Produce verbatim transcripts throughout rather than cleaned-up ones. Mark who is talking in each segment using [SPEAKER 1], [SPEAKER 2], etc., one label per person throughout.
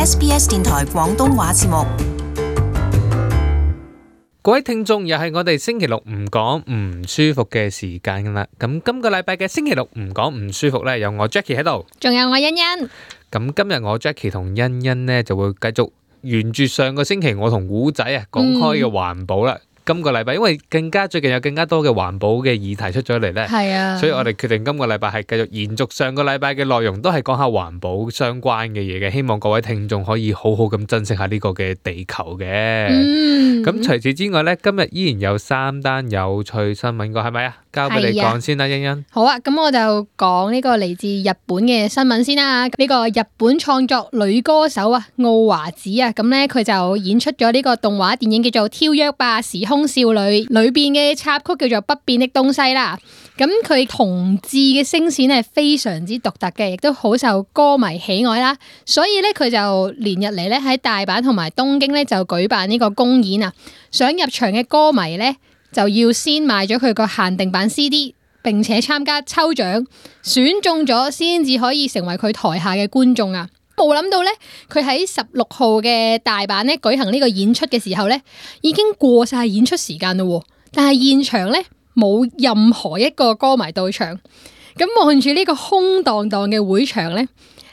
[SPEAKER 1] S B S 電台廣東話節目。
[SPEAKER 2] 各位聽眾，又係我哋星期六唔講唔舒服嘅時間啦。咁今個禮拜嘅星期六唔講唔舒服呢，有我 Jackie 喺度，
[SPEAKER 3] 仲有我欣欣。
[SPEAKER 2] 咁今日我 Jackie 同欣欣呢，就會繼續沿住上個星期我同古仔啊講開嘅環保啦。嗯今個禮拜因為更加最近有更加多嘅環保嘅議題出咗嚟呢，
[SPEAKER 3] 係啊，
[SPEAKER 2] 所以我哋決定今個禮拜係繼續延續上個禮拜嘅內容，都係講下環保相關嘅嘢嘅。希望各位聽眾可以好好咁珍惜下呢個嘅地球嘅。
[SPEAKER 3] 嗯，
[SPEAKER 2] 咁除此之外呢，今日依然有三單有趣新聞㗎，係咪啊？交俾你講先啦，欣欣。
[SPEAKER 3] 好啊，咁我就講呢個嚟自日本嘅新聞先啦。呢個日本創作女歌手啊，奧華子啊，咁呢，佢就演出咗呢個動畫電影叫做《跳躍吧時空少女》，裏邊嘅插曲叫做《不變的東西》啦。咁佢同志嘅聲線係非常之獨特嘅，亦都好受歌迷喜愛啦。所以呢，佢就連日嚟呢喺大阪同埋東京呢就舉辦呢個公演啊。想入場嘅歌迷呢，就要先買咗佢個限定版 C D， 並且參加抽獎，選中咗先至可以成為佢台下嘅觀眾啊！冇諗到呢，佢喺十六號嘅大阪呢舉行呢個演出嘅時候呢，已經過晒演出時間咯，但係現場呢冇任何一個歌迷到場。咁望住呢個空蕩蕩嘅會場呢，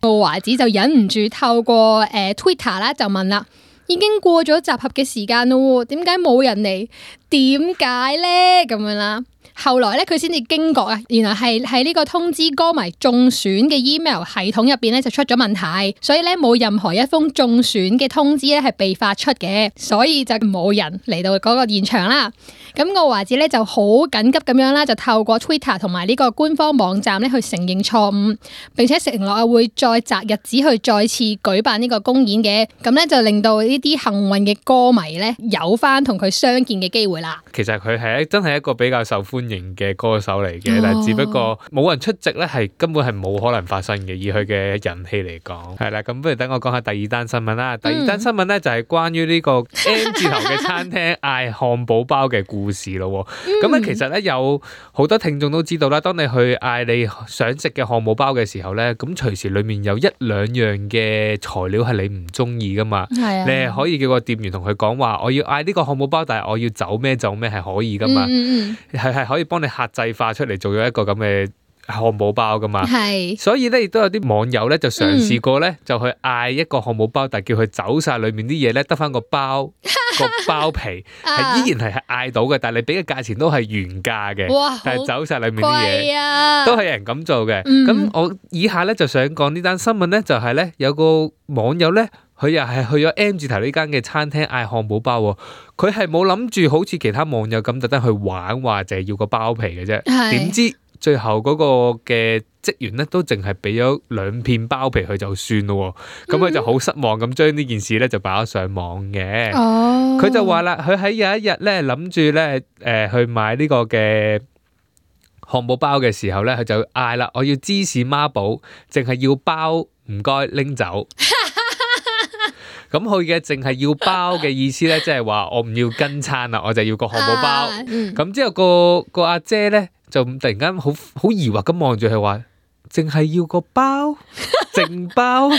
[SPEAKER 3] 奧華子就忍唔住透過誒、呃、Twitter 啦就問啦。已經過咗集合嘅時間咯，點解冇人嚟？點解呢？咁樣啦。後來咧，佢先至驚覺啊，原來係喺呢個通知歌迷中選嘅 email 系統入邊咧就出咗問題，所以咧冇任何一封中選嘅通知咧係被發出嘅，所以就冇人嚟到嗰個現場啦。咁奧華子咧就好緊急咁樣啦，就透過 Twitter 同埋呢個官方網站咧去承認錯誤，並且承諾啊會再擇日子去再次舉辦呢個公演嘅，咁咧就令到呢啲幸運嘅歌迷咧有翻同佢相見嘅機會啦。
[SPEAKER 2] 其實佢係真係一個比較受歡迎嘅歌手嚟嘅，但係只不過冇人出席咧，係根本係冇可能發生嘅。以佢嘅人氣嚟講，係啦，咁不如等我講下第二單新聞啦。第二單新聞咧就係關於呢個 M 字頭嘅餐廳嗌漢堡包嘅故事咯。咁咧、嗯、其實咧有好多聽眾都知道啦，當你去嗌你想食嘅漢堡包嘅時候咧，咁隨時裡面有一兩樣嘅材料係你唔中意噶嘛。係啊，你係可以叫個店員同佢講話，我要嗌呢個漢堡包，但係我要走咩走咩係可以噶嘛。嗯嗯嗯，係係可以幫你客製化出嚟做咗一個咁嘅漢堡包噶嘛。係，所以咧亦都有啲網友咧就嘗試過咧，嗯、就去嗌一個漢堡包，但係叫佢走晒裡面啲嘢咧，得翻個包個包皮係依然係係嗌到嘅，但係你俾嘅價錢都係原價嘅。哇！但係走晒裡面啲嘢，啊、都係有人咁做嘅。咁、嗯、我以下咧就想講呢單新聞咧，就係咧有個網友咧。佢又係去咗 M 字頭呢間嘅餐廳嗌漢堡包喎，佢係冇諗住好似其他網友咁特登去玩，話就係要個包皮嘅啫。點知最後嗰個嘅職員咧都淨係俾咗兩片包皮佢就算咯，咁佢、嗯、就好失望咁將呢件事咧就擺咗上網嘅。哦，佢就話啦，佢喺有一日咧諗住咧誒去買呢個嘅漢堡包嘅時候咧，佢就嗌啦，我要芝士孖寶，淨係要包，唔該拎走。咁佢嘅淨係要包嘅意思咧，即係話我唔要跟餐啦，我就要個漢堡包。咁、啊嗯、之後個個阿姐咧就突然間好好疑惑咁望住佢話，淨係要個包，淨包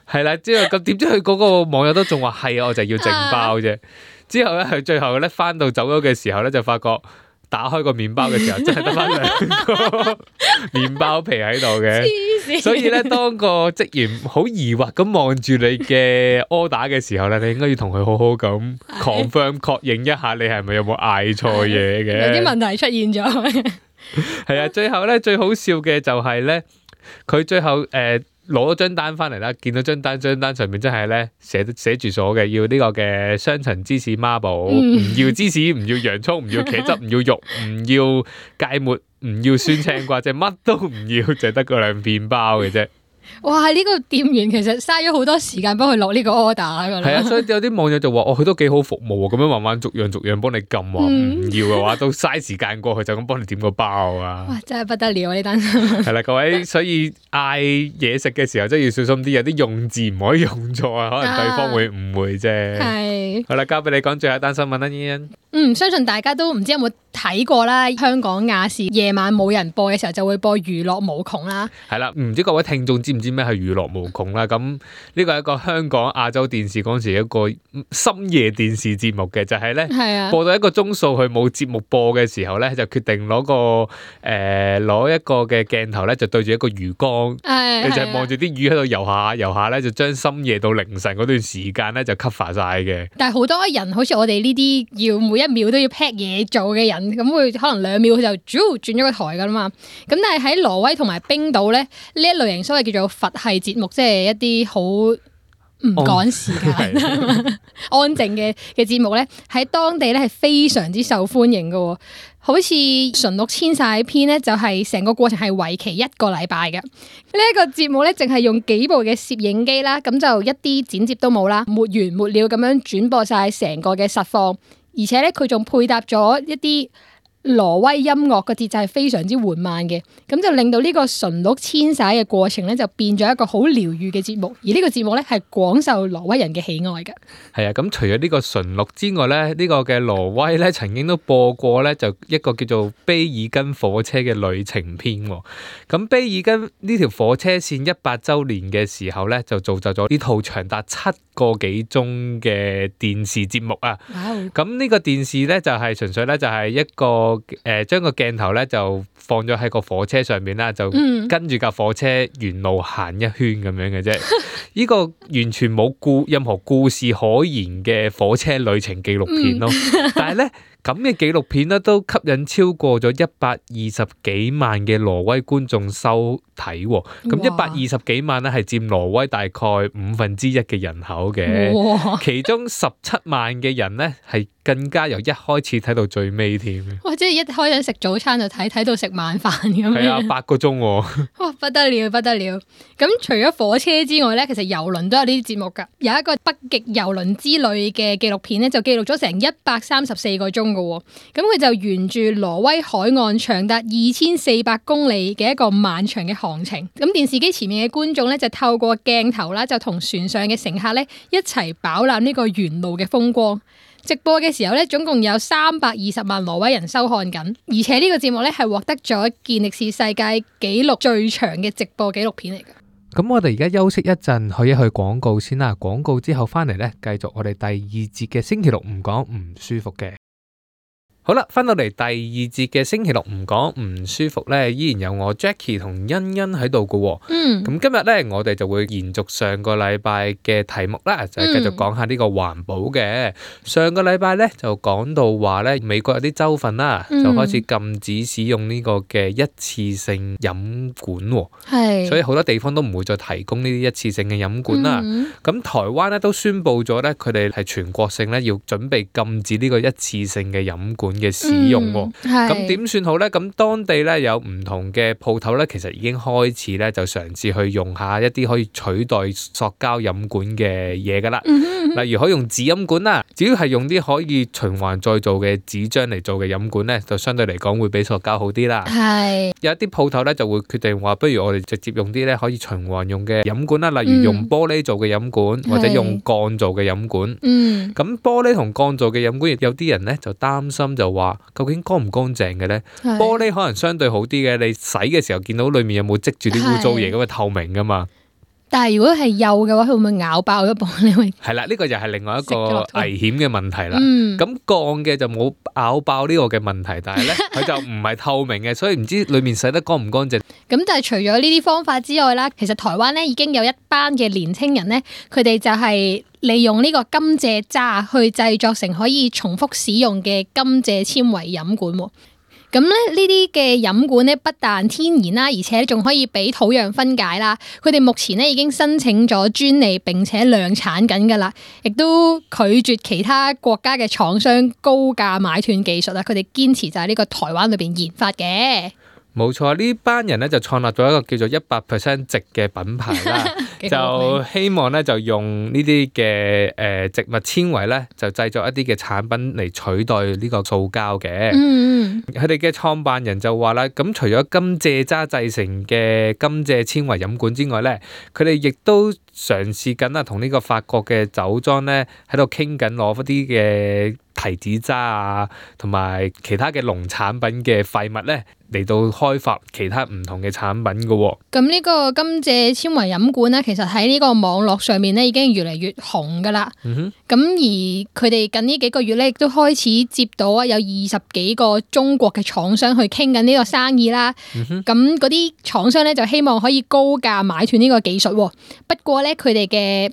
[SPEAKER 2] 係啦。之後咁點知佢嗰個網友都仲話係啊，我就要淨包啫。之後咧佢最後咧翻到走咗嘅時候咧，就發覺。打開個麵包嘅時候，真係得翻兩個麵包皮喺度嘅，所以咧，當個職員好疑惑咁望住你嘅 order 嘅時候咧，你應該要同佢好好咁 confirm 確認一下，你係咪有冇嗌錯嘢嘅？有啲問題出現咗。係啊，最後咧最好笑嘅就係咧，佢最後誒。呃攞咗張單翻嚟啦，見到張單，張單上面真係咧寫寫住咗嘅，要呢個嘅雙層芝士孖寶，唔、嗯、要芝士，唔要洋蔥，唔要茄汁，唔要肉，唔要芥末，唔要酸青瓜，即係乜都唔要，就得嗰兩片包嘅啫。哇！呢、這個店員其實嘥咗好多時間幫佢落呢個 order 㗎啦。係啊，所以有啲網友就話：哦，佢都幾好服務喎，咁樣慢慢逐樣逐樣幫你撳話唔要嘅話，都嘥時間過去就咁幫你點個包啊！哇！真係不得了啊！呢單新聞係啦，各位，所以嗌嘢食嘅時候真係要小心啲，有啲用字唔可以用錯啊，可能對方會誤會啫。係、啊。好啦，交俾你講最後一單新聞啦，欣欣。嗯，相信大家都唔知有冇
[SPEAKER 3] 睇過啦，香港亞視夜晚冇人播嘅時候就會播娛樂無窮啦。
[SPEAKER 2] 係啦，唔知各位聽眾知唔知咩係娛樂無窮啦？咁呢個係一個香港亞洲電視嗰陣時一個深夜電視節目嘅，就係、是、咧、
[SPEAKER 3] 啊、
[SPEAKER 2] 播到一個鐘數佢冇節目播嘅時候咧，就決定攞個誒攞、呃、一個嘅鏡頭咧，就對住一個魚缸，
[SPEAKER 3] 啊、
[SPEAKER 2] 你就係望住啲魚喺度游下游下咧，就將深夜到凌晨嗰段時間咧就 cover 晒嘅。
[SPEAKER 3] 但係好多人好似我哋呢啲要每一秒都要 pack 嘢做嘅人，咁會可能兩秒佢就轉轉咗個台噶啦嘛。咁但係喺挪威同埋冰島咧，呢一類型所謂叫做佛系節目，即係一啲好唔趕時間、安靜嘅嘅節目咧，喺當地咧係非常之受歡迎嘅。好似馴鹿遷徙篇咧，就係成個過程係為期一個禮拜嘅。呢、這、一個節目咧，淨係用幾部嘅攝影機啦，咁就一啲剪接都冇啦，沒完沒了咁樣轉播晒成個嘅實況，而且咧佢仲配搭咗一啲挪威音樂，個節奏係非常之緩慢嘅，咁就令到呢個馴鹿遷徙嘅過程咧就變咗一個好療愈嘅節目，而呢個節目咧係廣受挪威人嘅喜愛嘅。係
[SPEAKER 2] 啊，咁除咗呢個馴鹿之外咧，呢、這個嘅挪威咧曾經都播過咧，就一個叫做卑爾根火車嘅旅程篇。咁卑爾根呢條火車線一百週年嘅時候咧，就造就咗呢套長達七個幾鐘嘅電視節目啊。咁呢、wow. 個電視咧就係、是、純粹咧就係一個。誒，將個鏡頭咧就放咗喺個火車上面啦，就跟住架火車沿路行一圈咁樣嘅啫。呢個完全冇故任何故事可言嘅火車旅程紀錄片咯。但係咧咁嘅紀錄片咧都吸引超過咗一百二十幾萬嘅挪威觀眾收睇。咁一百二十幾萬咧係佔挪威大概五分之一嘅人口嘅，其中十七萬嘅人咧係更加由一開始睇到最尾添。
[SPEAKER 3] 哇！即係一開始食早餐就睇，睇到食晚飯咁樣。
[SPEAKER 2] 係啊，八個鐘喎。
[SPEAKER 3] 哇！不得了，不得了。咁除咗火車之外咧，其實郵輪都有呢啲節目㗎。有一個北極郵輪之旅嘅紀錄片咧，就記錄咗成一百三十四個鐘㗎喎。咁佢就沿住挪威海岸長達二千四百公里嘅一個漫長嘅航程。咁電視機前面嘅觀眾咧，就透過鏡頭啦，就同船上嘅乘客咧一齊飽覽呢個沿路嘅風光。直播嘅時候咧，總共有三百二十萬挪威人收看緊，而且呢個節目咧係獲得咗健力士世界紀錄最長嘅直播紀錄片嚟㗎。
[SPEAKER 2] 咁我哋而家休息一陣，去一去廣告先啦。廣告之後翻嚟咧，繼續我哋第二節嘅星期六唔講唔舒服嘅。好啦，翻到嚟第二節嘅星期六唔講唔舒服咧，依然有我 Jackie 同欣欣喺度嘅。嗯，咁今日咧，我哋就會延續上個禮拜嘅題目啦，就係繼續講下呢個環保嘅。嗯、上個禮拜咧就講到話咧，美國有啲州份啦，就開始禁止使用呢個嘅一次性飲管，係、嗯，所以好多地方都唔會再提供呢啲一次性嘅飲管啦。咁、嗯、台灣咧都宣布咗咧，佢哋係全國性咧要準備禁止呢個一次性嘅飲管嘅使用喎，咁點算好咧？咁當地咧有唔同嘅鋪頭咧，其實已經開始咧就嘗試去用下一啲可以取代塑膠飲管嘅嘢噶啦，例如可以用紙飲管啦，只要係用啲可以循環再造嘅紙漿嚟做嘅飲管咧，就相對嚟講會比塑膠好啲啦。係有一啲鋪頭咧就會決定話，不如我哋直接用啲咧可以循環用嘅飲管啦，例如用玻璃做嘅飲管、嗯、或者用鋼做嘅飲管。嗯，咁玻璃同鋼做嘅飲管，有啲人咧就擔心就話，究竟乾唔乾淨嘅咧？玻璃可能相對好啲嘅，你洗嘅時候見到裏面有冇積住啲污糟嘢，咁啊透明噶嘛。但係如果係幼嘅話，佢會唔會咬爆咗玻璃？係啦，呢個就係另外一個危險嘅問題啦。咁鋼嘅就冇咬爆呢個嘅問題，但係咧佢就唔係透明嘅，所以唔知裏面洗得乾唔乾淨。咁但係除咗呢啲方法之外啦，其實台灣咧已經有一班嘅年青人咧，佢哋就係利用呢個甘蔗渣去製作成可以重複使用嘅甘蔗纖維飲管。咁咧呢啲嘅飲管咧不但天然啦，而且仲可以俾土壤分解啦。佢哋目前咧已經申請咗專利並且量產緊㗎啦，亦都拒絕其他國家嘅廠商高價買斷技術啦。佢哋堅持就係呢個台灣裏邊研發嘅。冇錯，呢班人咧就創立咗一個叫做一百 percent 植嘅品牌啦，就希望咧就用呢啲嘅誒植物纖維咧，就製作一啲嘅產品嚟取代呢個塑膠嘅。嗯，佢哋嘅創辦人就話啦，咁除咗甘蔗渣製成嘅甘蔗纖維飲管之外咧，佢哋亦都嘗試緊啊，同呢個法國嘅酒莊咧喺度傾緊攞一啲嘅提子渣啊，同埋其他嘅農產品嘅廢物咧，嚟到開發其他唔同嘅產品嘅喎。
[SPEAKER 3] 咁呢個甘蔗纖維飲管咧，其實喺呢個網絡上面咧已經越嚟越紅噶啦。咁、
[SPEAKER 2] 嗯、
[SPEAKER 3] 而佢哋近呢幾個月咧，亦都開始接到啊有二十幾個中國嘅廠商去傾緊呢個生意啦。咁嗰啲廠商咧就希望可以高價買斷呢個技術。不過咧，佢哋嘅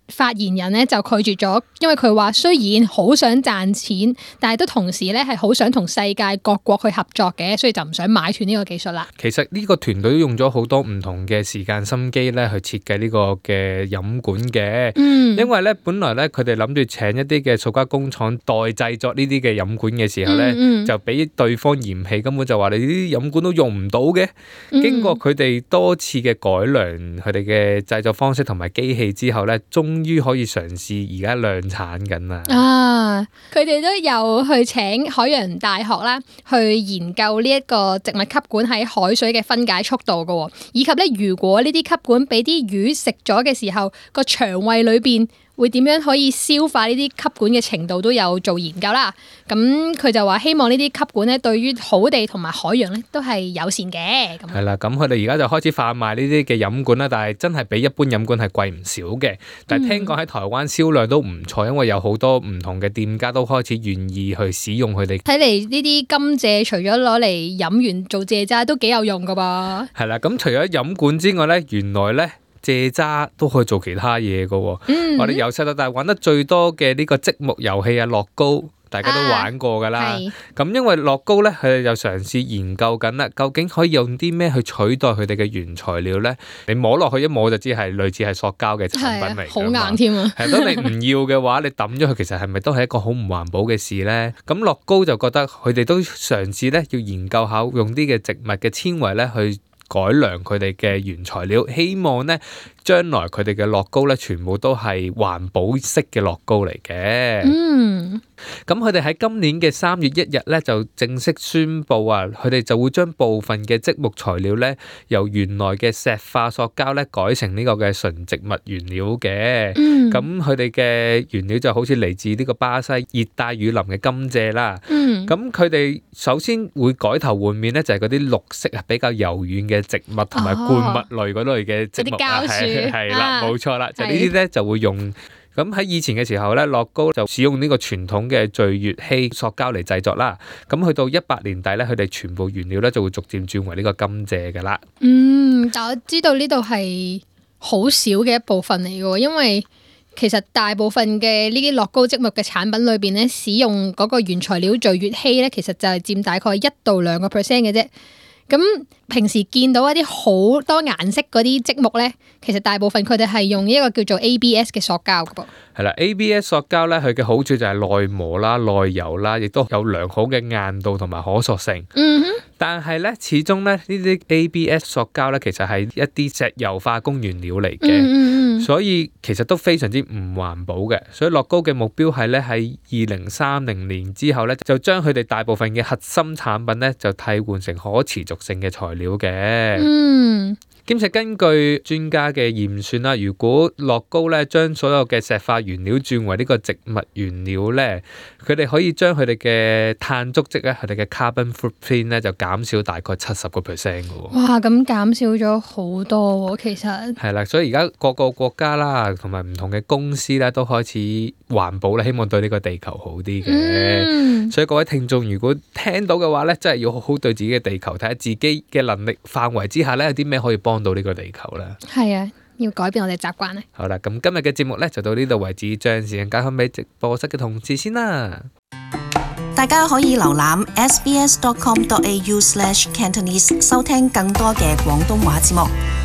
[SPEAKER 3] 發言人咧就拒絕咗，因為佢話雖然好想賺錢，但係都同時咧係好想同世界各國去合作嘅，所以就唔想買斷呢個技術啦。
[SPEAKER 2] 其實呢個團隊都用咗好多唔同嘅時間心機咧去設計呢個嘅飲管嘅，嗯、因為咧本來咧佢哋諗住請一啲嘅塑膠工廠代製作呢啲嘅飲管嘅時候咧，嗯嗯、就俾對方嫌棄，根本就話你啲飲管都用唔到嘅。嗯、經過佢哋多次嘅改良，佢哋嘅製作方式同埋機器之後咧，終於可以嘗試而家量產緊啦！啊，
[SPEAKER 3] 佢哋都有去請海洋大學啦，去研究呢一個植物吸管喺海水嘅分解速度噶，以及咧如果呢啲吸管俾啲魚食咗嘅時候，個腸胃裏邊會點樣可以消化呢啲吸管嘅程度都有做研究啦。咁佢就話希望呢啲吸管咧對於土地同埋海洋咧都係友善嘅。
[SPEAKER 2] 係啦，咁佢哋而家就開始販賣呢啲嘅飲管啦，但係真係比一般飲管係貴唔少嘅。但係聽講喺台灣銷量都唔錯，因為有好多唔同嘅店家都開始願意去使用佢哋。睇
[SPEAKER 3] 嚟呢啲甘蔗除咗攞嚟飲完做蔗渣都幾有用噶噃。
[SPEAKER 2] 係啦，咁除咗飲管之外咧，原來咧蔗渣都可以做其他嘢噶。嗯、我哋由細到大玩得最多嘅呢個積木遊戲啊，樂高。大家都玩過㗎啦，咁、啊、因為樂高咧，佢哋就嘗試研究緊啦，究竟可以用啲咩去取代佢哋嘅原材料咧？你摸落去一摸就知係類似係塑膠嘅產品嚟㗎嘛，
[SPEAKER 3] 好硬添啊！
[SPEAKER 2] 係，當你唔要嘅話，你抌咗佢，其實係咪都係一個好唔環保嘅事咧？咁樂高就覺得佢哋都嘗試咧，要研究下用啲嘅植物嘅纖維咧去改良佢哋嘅原材料，希望咧將來佢哋嘅樂高咧全部都係環保式嘅樂高嚟嘅。嗯。咁佢哋喺今年嘅三月一日咧就正式宣布啊，佢哋就會將部分嘅積木材料咧由原來嘅石化塑膠咧改成呢個嘅純植物原料嘅。咁佢哋嘅原料就好似嚟自呢個巴西熱帶雨林嘅甘蔗啦。咁佢哋首先會改頭換面咧，就係嗰啲綠色啊比較柔軟嘅植物同埋灌木類嗰類嘅植物啊，係係啦，冇錯啦，就呢啲咧就會用。咁喺以前嘅時候咧，樂高就使用呢個傳統嘅聚乙烯塑膠嚟製作啦。咁去到一百年底咧，佢哋全部原料咧就會逐漸轉為呢個甘蔗噶啦。嗯，
[SPEAKER 3] 但我知道呢度係好少嘅一部分嚟嘅，因為其實大部分嘅呢啲樂高積木嘅產品裏邊咧，使用嗰個原材料聚乙烯咧，其實就係佔大概一到兩個 percent 嘅啫。咁平時見到一啲好多顏色嗰啲積木咧，其實大部分佢哋係用一個叫做 A B S 嘅塑膠㗎噃。
[SPEAKER 2] 係啦 ，A B S 塑膠咧，佢嘅好處就係耐磨啦、耐油啦，亦都有良好嘅硬度同埋可塑性。嗯哼。但係咧，始終咧呢啲 A B S 塑膠咧，其實係一啲石油化工原料嚟嘅，嗯嗯，所以其實都非常之唔環保嘅。所以樂高嘅目標係咧喺二零三零年之後咧，就將佢哋大部分嘅核心產品咧，就替換成可持續性嘅材料嘅。嗯。兼且根據專家嘅驗算啦，如果樂高咧將所有嘅石化原料轉為呢個植物原料咧，佢哋可以將佢哋嘅碳足跡咧，佢哋嘅 carbon footprint 咧就減少大概七十個 percent 嘅喎。
[SPEAKER 3] 哇！咁減少咗好多喎，其實
[SPEAKER 2] 係啦，所以而家各個國家啦，同埋唔同嘅公司咧，都開始環保啦，希望對呢個地球好啲嘅。嗯、所以各位聽眾，如果聽到嘅話咧，真係要好好對自己嘅地球睇下自己嘅能力範圍之下咧，有啲咩可以幫到呢個地球啦。
[SPEAKER 3] 係啊，要改變我哋習慣咧。
[SPEAKER 2] 好啦，咁今日嘅節目咧就到呢度為止，將時間交翻俾直播室嘅同事先啦。
[SPEAKER 1] 大家可以瀏覽 sbs dot com dot a u slash cantonese 收聽更多嘅廣東話節目。